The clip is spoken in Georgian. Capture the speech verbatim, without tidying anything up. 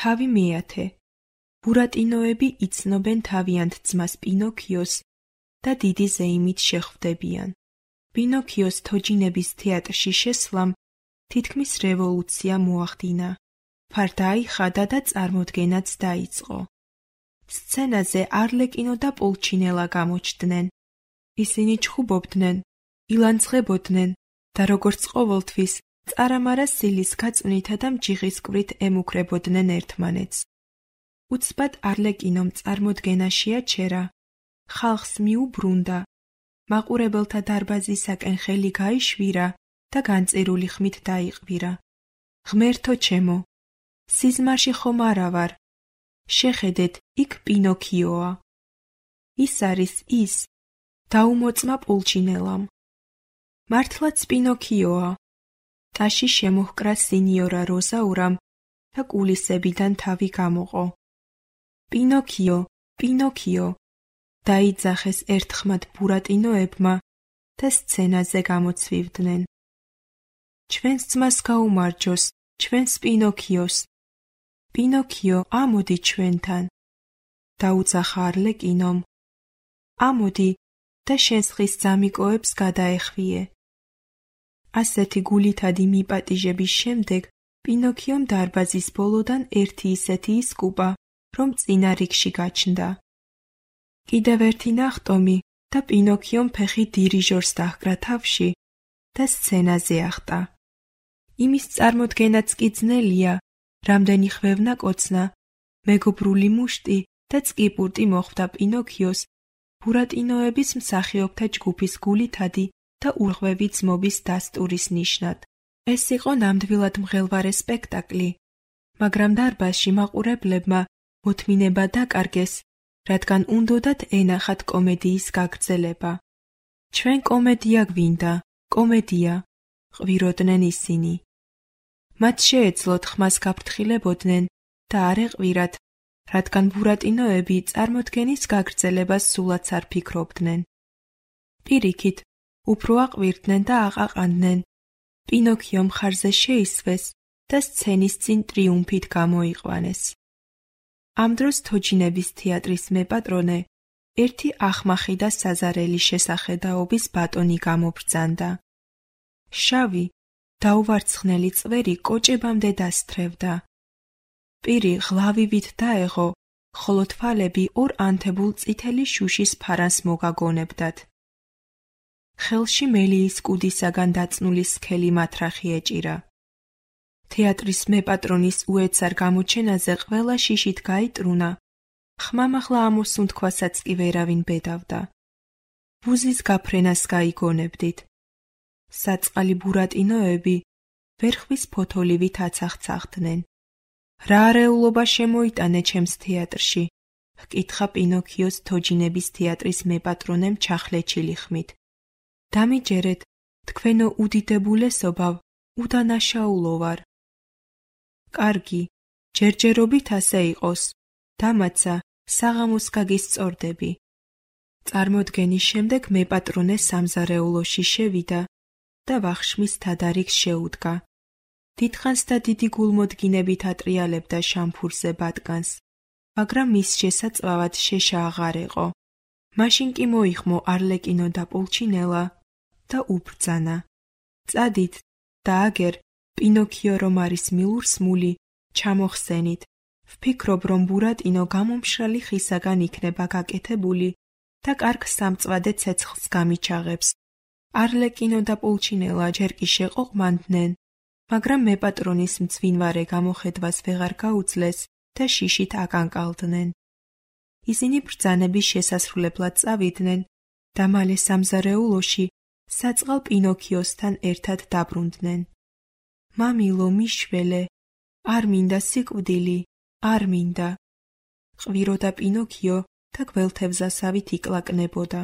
თავი მეათე. ბურატინოები იცნობენ თავიანთ ძმას პინოქიოს და დიდი ზეიმით შეხვდებიან. პინოქიოს თოჯინების თეატრში შესვლამ თითქმის რევოლუცია მოახდინა. ფარდა აიხადა და წარმოდგენაც დაიწყო. სცენაზე არლეკინო და პულჩინელა გამოჩნდნენ. ისინი ჩხუბობდნენ, ილანძღებოდნენ და როგორც ყოველთვის წარამარა სილის გაწვნითა და მჯიღისკვრით ემუქრებოდნენ ერთმანეთს. უცბად არლეკინომ წარმოდგენა შეაჩერა, ხალხს მიუბრუნდა, მაყურებელთა დარბაზისაკენ ხელი გაიშვირა და განწირული ხმით დაიყვირა. ღმერთო ჩემო, სიზმარში ხომ არა ვარ? შეხედეთ, იქ პინოქიოა. ის არის ის, დაუმოწმა პულჩინელამ. მართლაც პინოქიოა. ტაში შემოჰკრა სინიორა როზაურამ და კულისებიდან თავი გამოყო. პინოქიო, პინოქიო, დაიძახეს ერთხმად ბურატინოებმა და სცენაზე გამოცვივდნენ. ჩვენს ძმას გაუმარჯოს, ჩვენს პინოქიოს. პინოქიო, ამოდი ჩვენთან. დაუძახა არლეკინომ. ამოდი და შენს ხის ძამიკოებს გადაეხვიე. ასეთი გულითადი მიპატიჟების შემდეგ პინოქიომ დარბაზის ბოლოდან ერთი ისეთი ისკუპა, რომ წინა რიგში გაჩნდა. კიდევ ერთი ნახტომი და პინოქიომ ფეხი დირიჟორს დაჰკრა თავში და სცენაზე ახტა. იმის წარმოდგენაც კი ძნელია, რამდენი ხვევნა კოცნა, მეგობრული მუშტი და წკიპურტი მოხვდა პინოქიოს ბურატინოების მსახიობთა ჯგუფის გულითადი და ურღვევი ძმობის დასტურის ნიშნად. ეს იყო ნამდვილად მღელვარე სპექტაკლი, მაგრამ დარბაზში მაყურებლებმა მოთმინება დაკარგეს, რადგან უნდოდათ ენახათ კომედიის გაგრძელება. ჩვენ კომედია გვინდა, კომედია, ყვიროდნენ ისინი. მათ შეეძლოთ ხმას გაფრთხილებოდნენ და არ ეყვირათ, რადგან ბურატინოები წარმოდგენის გაგრძელებას სულაც არ ფიქრობდნენ. პირიქით, უფრო აყვირდნენ და აყაყანდნენ. პინოქიო მხარზე შეისვეს და სცენის წინ ტრიუმფით გამოიყვანეს. ამ დროს თოჯინების თეატრის მეპატრონე ერთი ახმახი და საზარელი შესახედაობის ბატონი გამობრძანდა. შავი, დაუვარცხნელი წვერი კოჭებამდე დასთრევდა. პირი ღლავივით დაეღო, ხოლო თვალები ორ ანთებულ წითელი შუშის ფარანს მოგაგონებდათ. ხელში მელიის კუდისაგან დაწნული სქელი მათრახი ეჭირა. თეატრის მეპატრონის უეცარ გამოჩენაზე ყველა შიშით გაიტრუნა, ხმამაღლა ამოსუნთქვასაც კი ვერავინ ბედავდა. ბუზის გაფრენას გაიგონებდით. საწყალი ბურატინოები ვერხვის ფოთოლივით აცახცახდნენ. რა არეულობა შემოიტანე ჩემს თეატრში? ჰკითხა პინოქიოს თოჯინების თეატრის მეპატრონემ ჩახლეჩილი ხმით. დამიჯერეთ, თქვენო უდიდებულესობავ, უდანაშაულო ვარ. კარგი, ჯერჯერობით ასე იყოს, დამაცა, საღამოს გაგისწორდები. წარმოდგენის შემდეგ მეპატრონე სამზარეულოში შევიდა და ვახშმის თადარიგს შეუდგა. დიდხანს და დიდი გულმოდგინებით ატრიალებდა შამფურზე ბატკანს, მაგრამ მის შესაწვავად შეშა აღარ ეყო. მაშინ კი მოიხმო არლეკინო და პულჩინელა და უბრძანა. წადით და აგერ, პინოქიო რომ არის მილურსმული, ჩამოხსენით. ვფიქრობ, რომ ბურატინო გამომშრალი ხისაგან იქნება გაკეთებული და კარგ სამწვადე ცეცხლს გამიჩაღებს. არლეკინო და პულჩინელა ჯერ კი შეყოყმანდნენ, მაგრამ მეპატრონის მძვინვარე გამოხედვას ვეღარ გაუძლეს და შიშით აკანკალდნენ. ისინი ბრძანების შესასრულებლად წავიდნენ და მალე სამზარეულოში საწყალ პინოქიოსთან ერთად დაბრუნდნენ. მამილო, მიშველე, არ მინდა სიკვდილი, არ მინდა. ყვიროდა პინოქიო და გველთევზასავით იკლაკნებოდა.